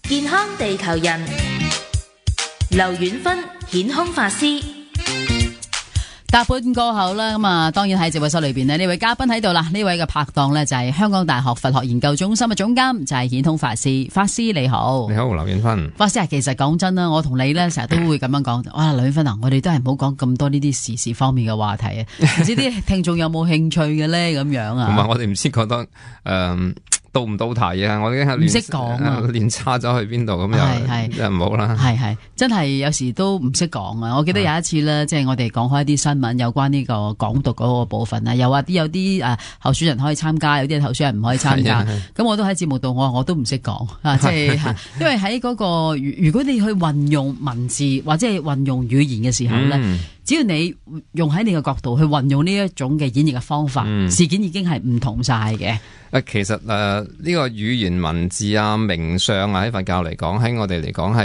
健康地球人，劉遠芬顯空法師。搭半過後啦，咁啊，當然喺直播室裏邊呢位嘉賓喺度啦。呢位嘅拍檔呢，就係香港大學佛學研究中心嘅總監，就係顯空法師。法師你好，你好，劉遠芬。法師啊，其實講真啦，我同你呢成日都會咁樣講。哇，劉遠芬啊，我哋都係唔好講咁多呢啲時事方面嘅話題啊。唔知啲聽眾有冇興趣嘅呢？咁樣啊？同埋我哋唔知覺得到唔到題啊？我已經係唔識講啊，亂差咗去邊度咁又唔好啦。係真係有時都唔識講啊！我記得有一次咧，即係我哋講開一啲新聞有關呢個港獨嗰個部分啊，又話有啲候選人可以參加，有啲候選人唔可以參加。咁我都喺節目度，我都唔識講啊，即係因為喺嗰個如果你去運用文字或者係運用語言嘅時候咧。只要你用喺你嘅角度去運用呢一種嘅演繹嘅方法，事件已經係唔同晒嘅。其實呢個語言文字啊、名相啊，喺佛教嚟講，喺我哋嚟講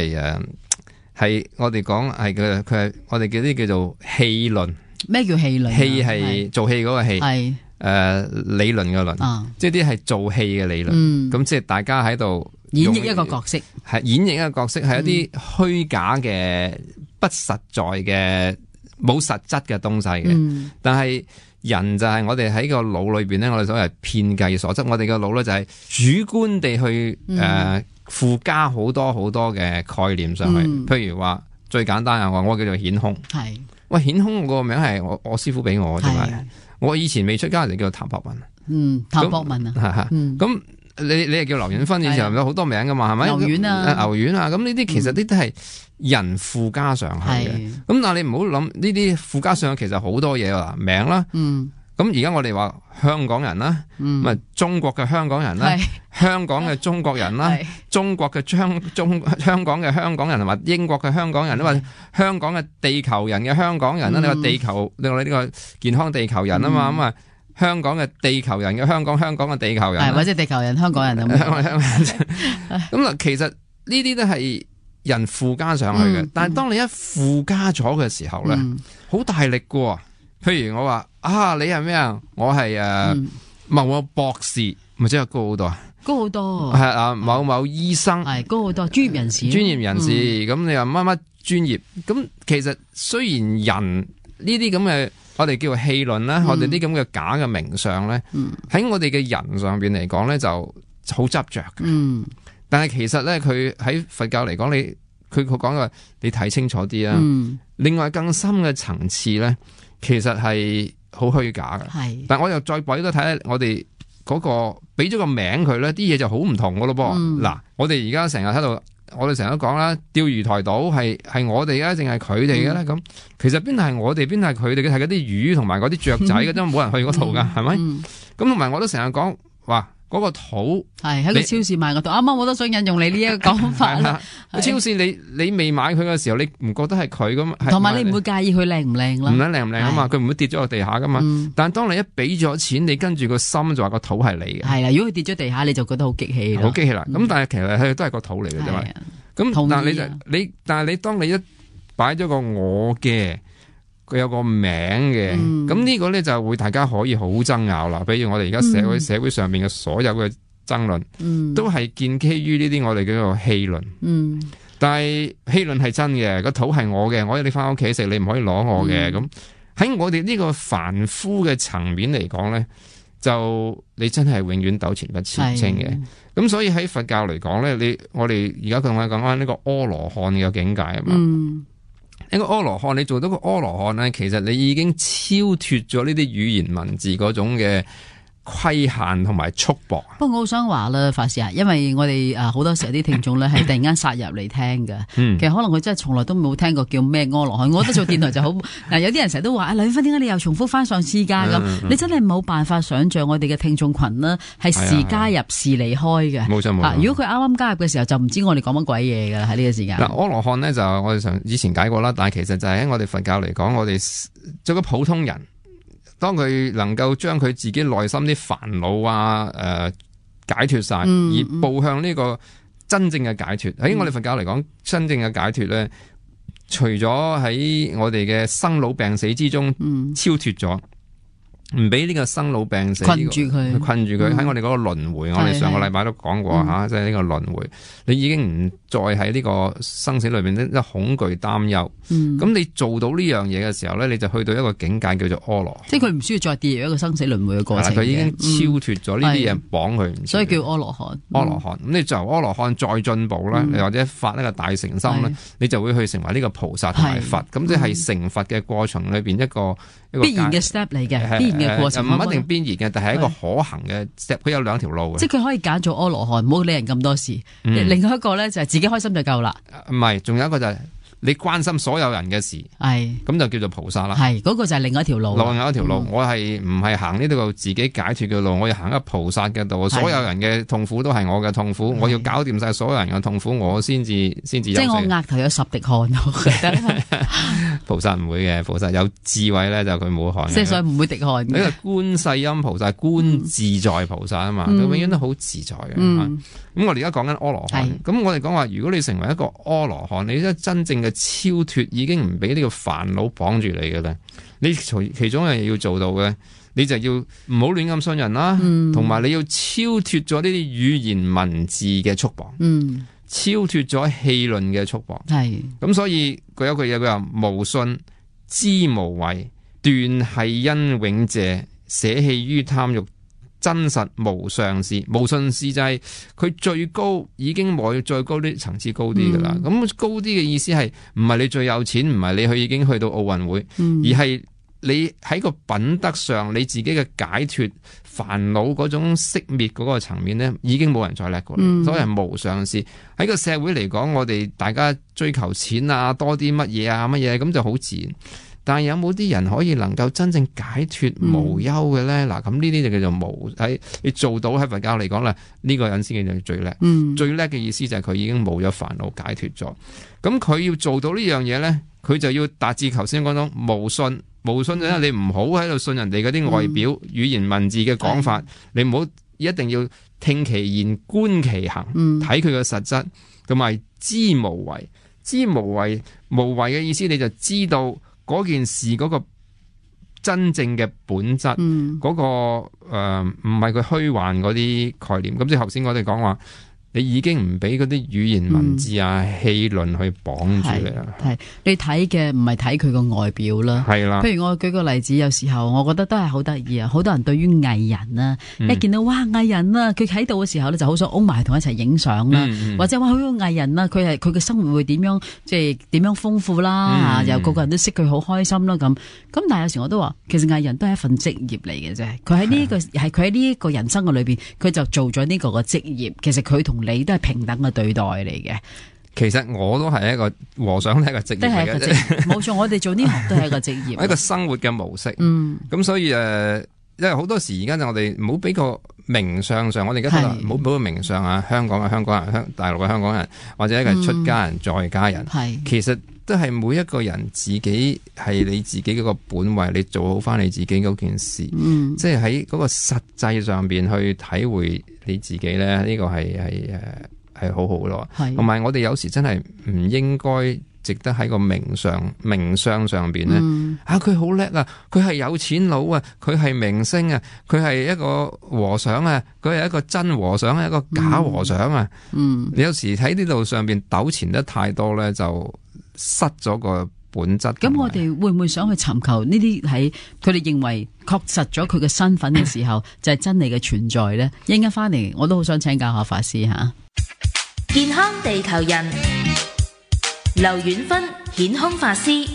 係我哋講係佢係我哋叫啲叫做戲論。咩叫戲論？戲係做戲嗰個戲，係理論嘅論，即係啲係做戲嘅理論。咁即係大家喺度演繹一個角色，係演繹一個角色，係一啲虛假嘅、不實在嘅。冇實質嘅東西嘅，但係人就係我哋喺個腦裏邊咧，我哋所謂遍計所執，我哋個腦咧就係主觀地去附加好多好多嘅概念上去。譬如話最簡單啊，我叫做顯空，係喂顯空個名係我師傅俾我嘅，我以前未出家就叫做譚博文，譚博文啊，咁。你係叫劉遠芬，以前有好多名噶嘛，係咪？牛丸啊，牛丸啊，咁呢啲其實呢啲係人附加上去嘅。咁但係你唔好諗呢啲附加上去，其實好多嘢啦，名啦。咁而家我哋話香港人啦，咪中國嘅香港人啦，香港嘅中國人啦，中國嘅香港嘅香港人同埋英國嘅香港人，或者香港嘅地球人嘅香港人啦。你話地球，你話呢個健康地球人啊嘛，咁啊。香港嘅地球人嘅香港嘅地球人，或者地球人香港人咁。咁嗱，其實呢啲都係人附加上去嘅。但係當你一附加咗嘅時候咧，好大力嘅。譬如我話啊，你係咩啊？我係某某博士，咪即係高好多啊？高好多。係啊，某某醫生係高好多，專業人士。專業人士，咁你話乜乜專業？咁其實雖然人呢啲咁嘅。我哋叫做戲論啦，我哋啲咁嘅假嘅名相咧，喺我哋嘅人上邊嚟講咧就好執着嘅。但係其實咧，佢喺佛教嚟講，佢講嘅你睇清楚啲啊。另外更深嘅層次咧，其實係好虛假嘅。係，但我又再俾多睇我哋嗰個俾咗個名佢咧，啲嘢就好唔同噶咯噃。嗱，我哋而家成日喺度。我哋成日都講啦，釣魚台島係我哋嘅，定係佢哋嘅咧？咁其實邊係我哋，邊係佢哋嘅？係嗰啲魚同埋嗰啲雀仔嘅啫，冇人去嗰度噶，係咪？咁同埋我都成日講，哇，嗰個土係喺個超市買個土，啱啱我都想引用你呢一個講法啦。超市你未買佢嘅時候，你唔覺得係佢噶嘛？同埋你唔會介意佢靚唔靚啦？唔撚靚唔靚啊嘛，佢唔會跌咗落地下噶嘛。但係當你一俾咗錢，你跟住個心就話個土係你嘅。係啦，如果佢跌咗地下，你就覺得好激氣。好激氣啦！咁但係其實佢都係個土嚟嘅啫嘛。咁但係你當你一擺咗個我嘅，佢有個名嘅，咁呢個咧就會大家可以好爭拗啦。比如我哋而家社會上面嘅所有嘅爭論，都係建基於呢啲我哋叫做戲論。但係戲論係真嘅，個土係我嘅，我要你翻屋企食，你唔可以攞我嘅。咁喺我哋呢個凡夫嘅層面嚟講咧，就你真係永遠糾纏不清嘅。咁所以喺佛教嚟講咧，我哋而家同我講緊呢個阿羅漢嘅境界啊嘛。呢個阿羅漢，你做到個阿羅漢咧，其實你已經超脫咗呢啲語言文字嗰種嘅規限同埋束縛。不過我好想話啦，法師啊，因為我哋好多時候啲聽眾咧係突然間殺入嚟聽嘅，其實可能佢真係從來都冇聽過叫咩阿羅漢。我覺得做電台就好有啲人成日都話劉遠芬，點解你又重複翻上次㗎咁？你真係冇辦法想像我哋嘅聽眾群啦，係時加入時離開嘅。冇錯。如果佢啱啱加入嘅時候，就唔知我哋講乜鬼嘢㗎啦喺呢個時間。嗱，阿羅漢咧就我哋以前解過啦，但係其實就係喺我哋佛教嚟講，我哋做個普通人。當佢能夠將佢自己內心啲煩惱啊解脫晒，而步向呢個真正嘅解脫。喺我哋佛教嚟講，真正嘅解脫咧，除咗喺我哋嘅生老病死之中超脫咗，唔俾呢個生老病死困住佢喺我哋嗰個輪迴。我哋上個禮拜都講過吓，即係呢個輪迴，你已經唔再喺呢個生死裏邊咧，恐懼擔憂。咁你做到呢樣嘢嘅時候咧，你就去到一個境界叫做阿羅漢，即係佢唔需要再跌入一個生死輪迴嘅過程。佢已經超脫咗呢啲嘢綁佢，所以叫阿羅漢。阿羅漢，咁你就由阿羅漢再進步啦，你或者發呢個大誠心咧，你就會去成為呢個菩薩同埋佛。咁即係成佛嘅過程裏邊一個必然嘅 step 嚟嘅，必然嘅過程。唔一定必然嘅，但係一個可行嘅 step。佢有兩條路嘅，即係佢可以揀做阿羅漢，唔好理人咁多事。另外一個咧就係自己開心就夠啦。唔係，仲有一個就係你關心所有人嘅事，咁就叫做菩薩啦。係嗰個就係另外一條路。另外一條路，我係唔係行呢度自己解脫嘅路，我要行一個菩薩嘅道。所有人嘅痛苦都係我嘅痛苦，我要搞掂晒所有人嘅痛苦，我先至即係我額頭有10滴汗，我覺得菩薩唔會嘅，菩薩有智慧咧，就佢冇汗。即係所以唔會滴汗。呢個觀世音菩薩，觀自在菩薩啊嘛，佢永遠都好自在嘅。咁我哋而家講緊阿羅漢，咁我哋講話，如果你成為一個阿羅漢，你真正嘅超脫，已經唔俾呢個煩惱綁住你嘅咧。你其中一樣嘢要做到嘅，你就要唔好亂咁信人啦，同埋你要超脫咗呢啲語言文字嘅束縛，超脫咗戲論嘅束縛。咁所以佢有句嘢，佢話無信知無為，斷係因永謝，捨棄於貪欲，真實無上士。無上士就係佢最高，已經冇再高啲層次高啲噶啦。咁高啲嘅意思係唔係你最有錢，唔係你已經去到奧運會，而係你喺個品德上，你自己嘅解脫煩惱嗰種熄滅嗰個層面咧，已經冇人再叻過你。所以係無上士。喺個社會嚟講，我哋大家追求錢啊，多啲乜嘢啊乜嘢，咁就好自然。但係有冇啲人可以能夠真正解脫無憂嘅咧？嗱，咁呢啲就叫做無喺你做到喺佛教嚟講啦，呢個人先叫做最叻。最叻嘅意思就係佢已經冇咗煩惱，解脫咗。咁佢要做到呢樣嘢咧，佢就要達至頭先講到無信。無信就係你唔好喺度信人哋嗰啲外表語言文字嘅講法，你唔好一定要聽其言觀其行，睇佢嘅實質，同埋知無為。知無為，無為嘅意思你就知道嗰件事嗰個真正嘅本質，嗰個唔係佢虛幻嗰啲概念。咁即係頭先我哋講話，你已經唔俾嗰啲語言文字啊、戲論去綁住你啦。係你睇嘅唔係睇佢個外表啦。係啦。譬如我舉個例子，有時候我覺得都係好得意啊！好多人對於藝人啊，一見到哇藝人啊，佢喺度嘅時候咧，就好想擁埋同一齊影相啦。或者話好藝人啊，佢嘅生活會點樣，即係點樣豐富啦。又個個人都識佢好開心啦咁。但係有時我都話，其實藝人都係一份職業嚟嘅啫。佢喺呢個係佢喺呢一個人生嘅裏邊，佢就做咗呢個嘅職業。其實佢同你都係平等嘅對待嚟嘅。其實我都係一個和尚，都係一個職業嚟嘅。冇錯，我哋做呢行都係一個職業，一個生活嘅模式。咁所以因為好多時而家就我哋唔好俾個名相上，我哋而家唔好俾個名相啊，香港嘅香港人，大陸嘅香港人，或者一個出家人、在家人，其實都係每一個人自己係你自己嗰個本位，你做好翻你自己嗰件事，即係喺嗰個實際上邊去體會你自己咧，呢個係好好咯。同埋我哋有時真係唔應該值得喺個名相上邊咧，佢好叻啊，佢係有錢佬啊，佢係明星啊，佢係一個和尚啊，佢係一個真和尚，係一個假和尚啊。你有時喺呢度上邊糾纏得太多咧，就失咗個本質。咁我哋會唔會想去尋求呢啲喺佢哋認為確實咗佢嘅身份嘅時候，就係真理嘅存在咧？一陣間翻嚟，我都好想請教下法師吓。健康地球人，劉遠芬顯空法師。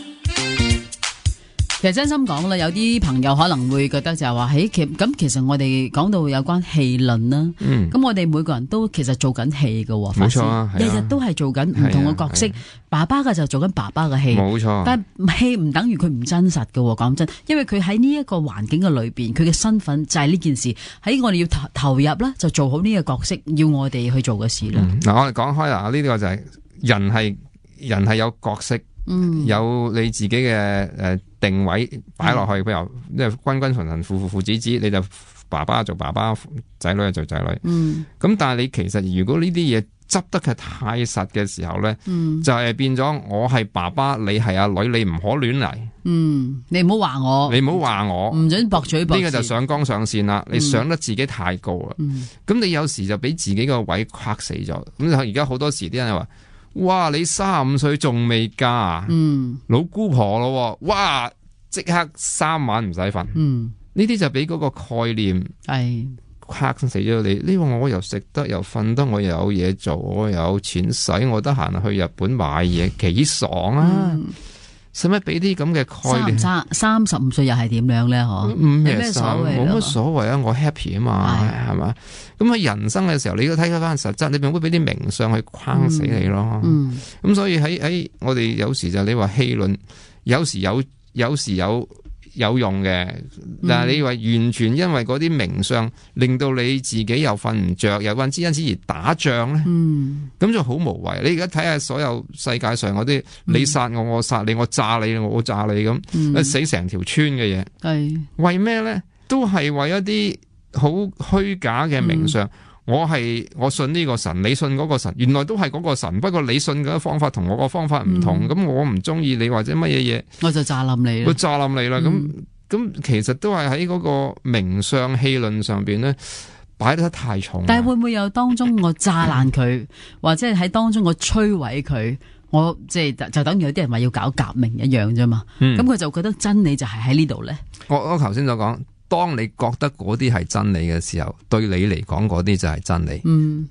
其實真心講啦，有啲朋友可能會覺得就係話，咁其實我哋講到有關戲論啦，咁我哋每個人都其實做緊戲噶，冇錯啊，日日都係做緊唔同嘅角色，爸爸嘅就做緊爸爸嘅戲，冇錯。但係戲唔等於佢唔真實噶，講真，因為佢喺呢一個環境嘅裏邊，佢嘅身份就係呢件事，喺我哋要投入啦，就做好呢個角色，要我哋去做嘅事啦。嗱，我哋講開啦，呢個就係人係有角色。有你自己嘅定位擺落去，譬如即係君君臣臣父子子，你就爸爸做爸爸，仔女就做仔女。咁但係你其實如果呢啲嘢執得佢太實嘅時候咧，就係變咗我係爸爸，你係阿女，你唔可亂嚟。你唔好話我，你唔好話我，唔准駁嘴駁舌。呢個就上綱上線啦，你上得自己太高啦。咁你有時就俾自己個位框死咗。咁而家好多時啲人話，哇，你35歲仲未嫁啊？老姑婆咯，哇，即刻3晚唔使瞓。呢啲就俾嗰個概念係框死咗你。呢個我又食得又瞓得，我又有嘢做，我又有錢使，我得閒去日本買嘢，幾爽啊！使乜俾啲咁嘅概念？35歲又係點樣咧？嗬，冇咩所謂，冇乜所謂啊！我 happy 啊嘛，係嘛？咁喺人生嘅時候，你都睇翻實質，你唔會俾啲名相去框死你咯。咁所以喺我哋有時就你話戲論，有時有用嘅，但係你話完全因為嗰啲名相令到你自己又瞓唔着，又因此而打仗咧，咁就好無謂。你而家睇下所有世界上嗰啲，你殺我，我殺你，我炸你，我炸你咁，死成條村嘅嘢，為咩咧？都係為一啲好虛假嘅名相。我信呢個神，你信嗰個神，原來都係嗰個神，不過你信嘅方法同我個方法唔同，咁我唔中意你或者乜嘢嘢，我就炸冧你啦。我炸冧你啦，咁其實都係喺嗰個名相戲論上邊咧擺得太重。但係會唔會有當中我炸爛佢，或者係喺當中我摧毀佢，我即係就等於有啲人話要搞革命一樣啫嘛。咁佢就覺得真理就係喺呢度咧。我頭先所講。當你覺得嗰啲係真理嘅時候，對你嚟講嗰啲就係真理。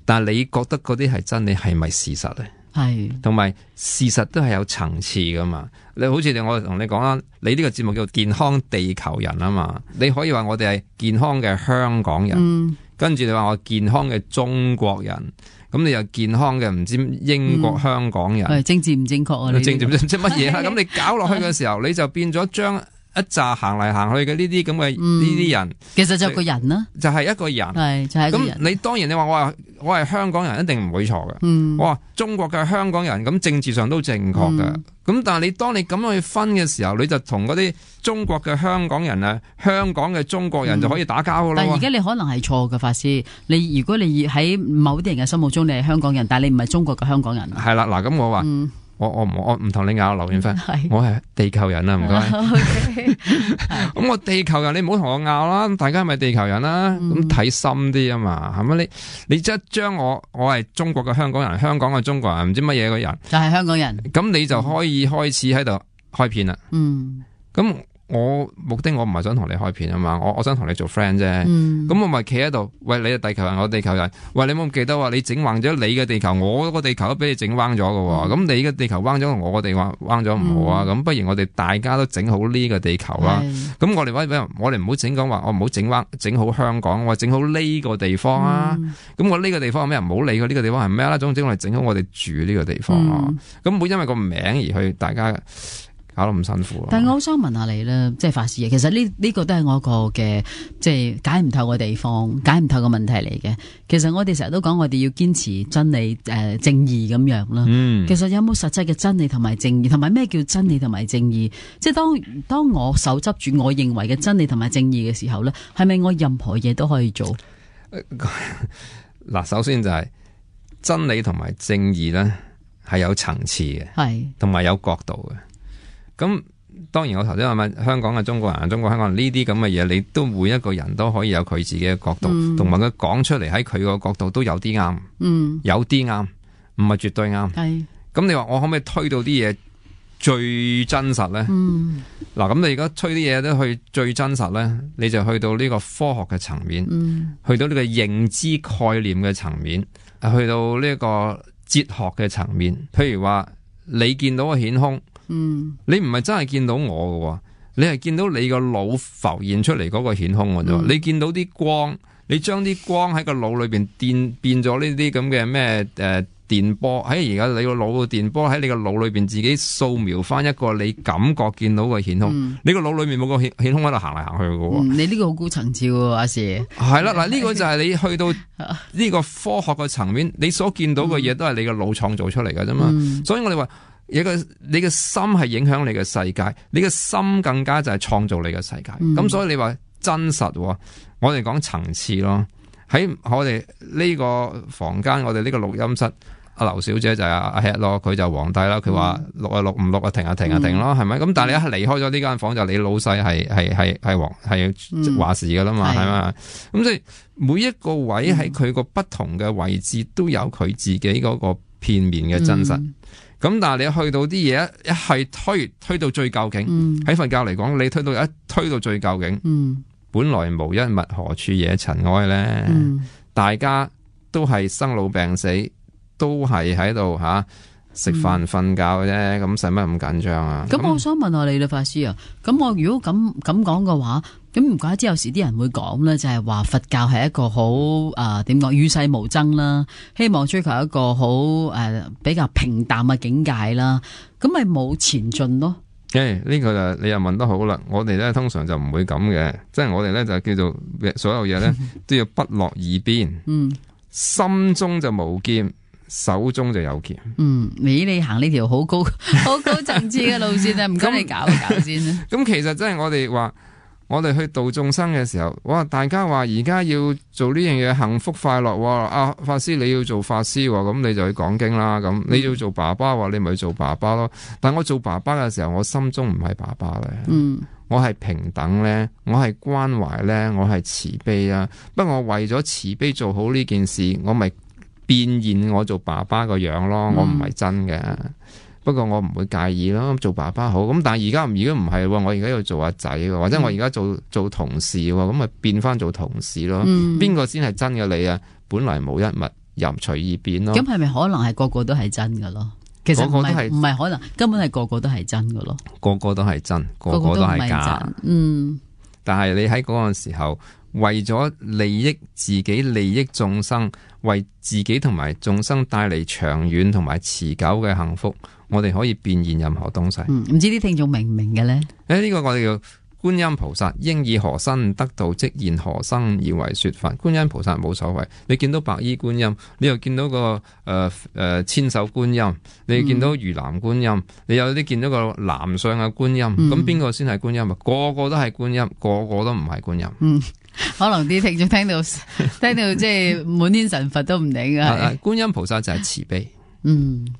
但係你覺得嗰啲係真理，係咪事實咧？係，同埋事實都係有層次噶嘛。你好似我同你講啦，你呢個節目叫做健康地球人啊嘛。你可以話我哋係健康嘅香港人，跟住你話我健康嘅中國人，咁你又健康嘅唔知英國香港人，政治唔正確啊？政治唔知乜嘢啊？咁你搞落去嘅時候，你就變咗將一紮行嚟行去嘅呢啲咁嘅呢啲人，其實就係個人啦，就係一個人，係就係一個人。咁你當然你話我係香港人，一定唔會錯嘅。我話中國嘅香港人，咁政治上都正確嘅。咁但係你當你咁樣去分嘅時候，你就同嗰啲中國嘅香港人啊，香港嘅中國人就可以打交噶啦。但係而家你可能係錯嘅，法師。如果你喺某啲人嘅心目中你係香港人，但係你唔係中國嘅香港人。係啦，嗱咁我話。我唔同你拗劉遠芬，我係地球人啊，唔該。咁我地球人，你唔好同我拗啦，大家係咪地球人啦？咁睇深啲啊嘛，係咪？你即係將我係中國嘅香港人，香港嘅中國人，唔知乜嘢嘅人，就係香港人。咁你就可以開始喺度開片啦。咁我目的我唔係想同你開片啊嘛，我想同你做 friend 啫。咁我咪企喺度，喂，你係地球人，我地球人。喂，你冇記得話你整橫咗你嘅地球，我個地球都俾你整彎咗嘅。咁你嘅地球彎咗，我個地球彎咗唔好啊。咁不如我哋大家都整好呢個地球啦。咁我哋唔好整講話，我唔好整彎整好香港，我整好呢個地方啊。咁我呢個地方係咩？唔好理佢呢個地方係咩啦。總之我哋整好我哋住呢個地方啊。咁唔會因為個名而去大家搞得咁辛苦。但係我好想問下你咧，即係法師啊，其實呢個都係我一個嘅即係解唔透嘅地方，解唔透嘅問題嚟嘅。其實我哋成日都講我哋要堅持真理正義咁樣啦。其實有冇實際嘅真理同埋正義，同埋咩叫真理同埋正義？即係當我手執住我認為嘅真理同埋正義嘅時候咧，係咪我任何嘢都可以做？嗱，首先就係真理同埋正義咧係有層次嘅，係同埋有角度嘅。咁當然我頭先話咩香港嘅中國人、中國香港人呢啲咁嘅嘢，你都每一個人都可以有佢自己嘅角度，同埋佢講出嚟喺佢個角度都有啲啱，有啲啱，唔係絕對啱。係咁你話我可唔可以推到啲嘢最真實咧？嗱，咁你而家推啲嘢都去最真實咧，你就去到呢個科學嘅層面，去到呢個認知概念嘅層面，去到呢個哲學嘅層面。譬如話你見到個顯空。你唔係真係見到我嘅，你係見到你個腦浮現出嚟嗰個顯空嘅啫。你見到啲光，你將啲光喺個腦裏邊變咗呢啲咁嘅咩電波喺而家你個腦嘅電波喺你個腦裏邊自己掃描翻一個你感覺見到嘅顯空。你個腦裏面冇個顯空喺度行嚟行去嘅。你呢個好高層次喎，阿 Sir。係啦，嗱呢個就係你去到呢個科學嘅層面，你所見到嘅嘢都係你個腦創造出嚟嘅啫嘛。所以我哋話。你嘅心係影響你嘅世界，你嘅心更加就係創造你嘅世界。咁所以你話真實，我哋講層次咯。喺我哋呢個房間，我哋呢個錄音室。阿劉小姐就係阿 Head 咯，佢就皇帝啦。佢話錄啊錄，唔錄啊停啊停啊停咯，係咪？咁但係你一離開咗呢間房，就你老細係話事噶啦嘛，係嘛？咁所以每一個位喺佢個不同嘅位置都有佢自己嗰個片面嘅真實。咁但係你去到啲嘢一係推到最究竟，喺佛教嚟講，你推到最究竟，本來無一物，何處惹塵埃咧？大家都係生老病死。都係喺度食飯瞓覺嘅啫，咁使乜咁緊張啊？咁我想問下你啦，法師啊，咁我如果咁講嘅話，咁唔怪之有時啲人會講咧，就係話佛教係一個好點講與世無爭啦，希望追求一個好比較平淡嘅境界啦，咁咪冇前進咯？呢個就你又問得好啦，我哋咧通常就唔會咁嘅，即係我哋咧就叫做所有嘢咧都要不落二邊，心中就無劍。手中就有劍。你行呢條好高層次嘅路線啊，唔該你搞先啦。咁其實真係我哋話，我哋去度眾生嘅時候，哇！大家話而家要做呢樣嘢幸福快樂，法師你要做法師，咁你就去講經啦。咁你要做爸爸，你咪去做爸爸咯。但我做爸爸嘅時候，我心中唔係爸爸咧，我係平等咧，我係關懷咧，我係慈悲啊。不過我為咗慈悲做好呢件事，我咪變現我做爸爸個樣咯，我唔係真嘅，不過我唔會介意咯，做爸爸好。咁但係而家唔係，我而家要做阿仔，或者我而家做同事，咁咪變翻做同事咯。邊個先係真嘅你啊？本來無一物，任隨意變咯。咁係咪可能係個個都係真噶咯？其實唔係可能，根本係個個都係真噶咯。個個都係真，個個都係假。但係你喺嗰個時候，為咗利益自己、利益眾生，為自己同埋眾生帶嚟長遠同埋持久嘅幸福，我哋可以變現任何東西。唔知啲聽眾明唔明嘅咧？呢個我哋叫觀音菩薩，應以何身得道，即現何生而為說法。觀音菩薩冇所謂，你見到白衣觀音，你又見到個千手觀音，你又見到魚籃觀音，你有啲見到個男相嘅觀音，咁邊個先係觀音啊？個個都係觀音，個個都唔係觀音。可能啲聽眾聽到即係滿天神佛都唔定啊！觀音菩薩就係慈悲，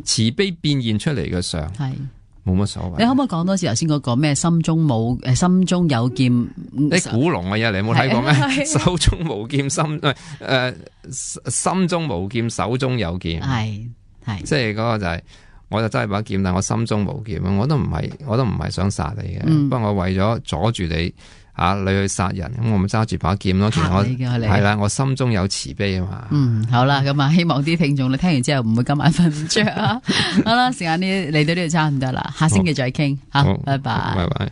慈悲變現出嚟嘅相，係冇乜所謂。你可唔可以講多次頭先嗰個咩心中有劍？啲古龍嘅嘢你有冇睇過咩？手中無劍，心中無劍，手中有劍。係即係嗰個就係，我就真係把劍，但我心中無劍，我都唔係想殺你嘅。不過我為咗阻住你。你去殺人，咁我咪揸住把劍咯。其實我係啦，我心中有慈悲啊嘛。好啦，咁啊，希望啲聽眾你聽完之後唔會今晚瞓唔着啊。好啦，時間呢嚟到呢度差唔多啦，下星期再傾。好，拜拜。拜拜。